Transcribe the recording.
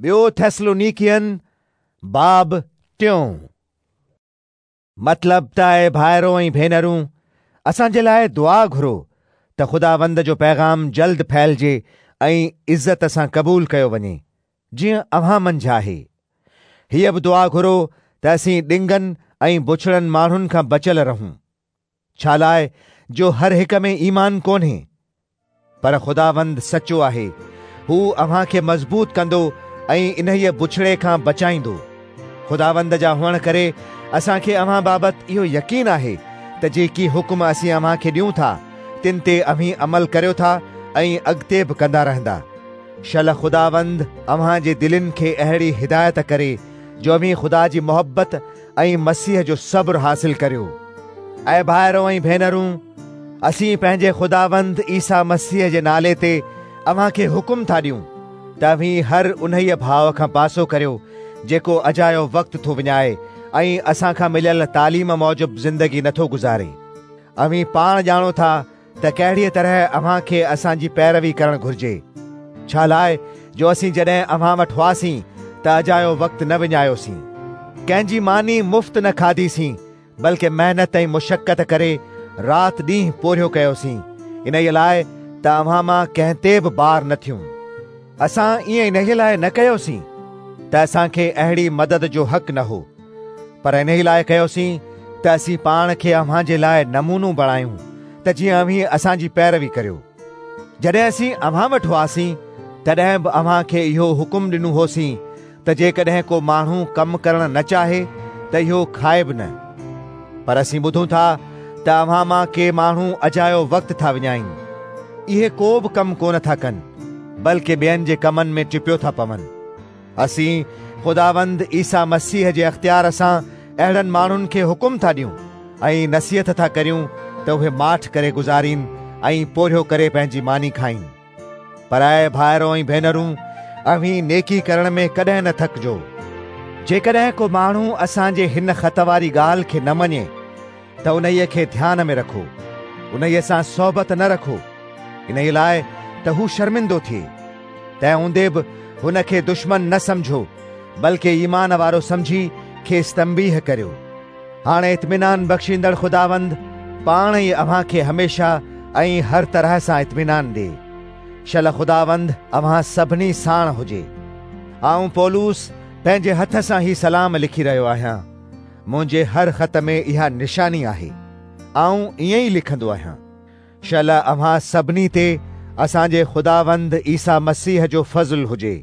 ٻيو ٿيسلونيڪين باب ٽيون. مطلب ته اي ڀائرو ۽ ڀينرون، اسان جي لاء دعا گهرو ته خداوند جو پيغام جلد ڦهلجي ۽ عزت سان قبول ڪيو وڃي، جيئن اوهان منجهه آهي. هيء به دعا گهرو ته اسين ڏنگن ۽ بڇڙن ماڻهن کان بچيل رهون. ڇالاء جو هر هڪ ۾ ايمان ڪونهي. پر خداوند سچو آهي، هو اوهان کي مضبوط ڪندو ۽ انهيء بڇڙي کان بچائيندو. خداوند جا هئڻ ڪري اسان کي اوهان بابت اهو يقين آهي ته جيڪي حڪم اسين اوهان کي ڏيون ٿا، تن تي اوهين عمل ڪريو ٿا ۽ اڳتي به ڪندا رهندا. شل خداوند اوهان جي دلين کي اهڙي هدايت ڪري جو اوهين خدا جي محبت ۽ مسيح جو صبر حاصل ڪريو. اي ڀائرو ۽ ڀينرون، اسين پنهنجي خداوند عيسيٰ مسيح جي نالي تي اوهان کي حڪم ٿا ڏيون ته اوهين هر انهيء ڀاء کان پاسو ڪريو جيڪو اجايو وقت ٿو وڃائي ۽ اسان کان مليل تعليم موجب زندگي نٿو گذاري. اوهين پاڻ ڄاڻو ٿا ته ڪهڙيء طرح اوهان کي اسان جي پيروي ڪرڻ گهرجي، ڇالاء جو اسين جڏهن اوهان وٽ هئاسين ته اجايو وقت نه وڃايوسين. ڪنهن جي ماني مفت نه کاڌيسين، بلڪ محنت ۽ مشقت ڪري رات ڏينهن پورهيو ڪيوسين، انهيء لاء ته اوهان مان ڪنهن تي به بار نه ٿيون. اسان ائين انهيء لاء نه ڪيوسين ته اسان کي اهڙي مدد جو حق نه هو، پر انهيء لاء ڪيوسين ته اسين پاڻ کي اوهان جي لاء نمونو بڻايون ته جيئن اوهين اسان جي پيروي ڪريو. جڏهن اسين اوهان وٽ هئاسين، تڏهن به اوهان کي اهو حڪم ڏنو هوسين ته جيڪڏهن ڪو ماڻهو ڪم ڪرڻ نه چاهي ته اهو کائي به نه. پر اسين ٻڌون ٿا ته اوهان مان ڪي ماڻهو اجايو وقت ٿا وڃائين. اهي ڪو به ڪم ڪونه ٿا ڪن، بلڪه ٻين جي ڪمن ۾ ٽپيو ٿا پون. اسين خداوند عيسيٰ مسيح جي اختيار سان اهڙن ماڻهن کي حڪم ٿا ڏيون ۽ نصيحت ٿا ڪريون ته اهي ماٺ ڪري گذارين ۽ پورهيو ڪري پنهنجي ماني کائين. پر اي ڀائرو ۽ ڀينرون، اوهين نيڪي ڪرڻ ۾ ڪڏهن نه ٿڪجو. جيڪڏهن ڪو ماڻهو اسان جي هن خط واري ڳالهه کي نه مڃي ته انهيء کي ڌيان ۾ رکو، انهيء سان صحبت نه رکو، انهيء لاء ته هو شرمندو ٿئي. تنهن هوندي به هن کي دشمن نه سمجهو، بلڪه ايمان وارو سمجهي کيس تنبيهه ڪريو. هاڻي اطمينان بخشيندڙ خداوند پاڻ ئي اوهان کي هميشه ۽ هر طرح سان اطمينان ڏئي. شل خداوند اوهان سڀني ساڻ هجي. آئون پولس پنهنجي هٿ سان هي سلام لکي رهيو آهيان. منهنجي هر خط ۾ اها نشاني آهي. آئون ائين ئي لکندو آهيان. شل اوهان سڀني تي اسان جي خداوند عيسيٰ مسيح جو فضل هجي.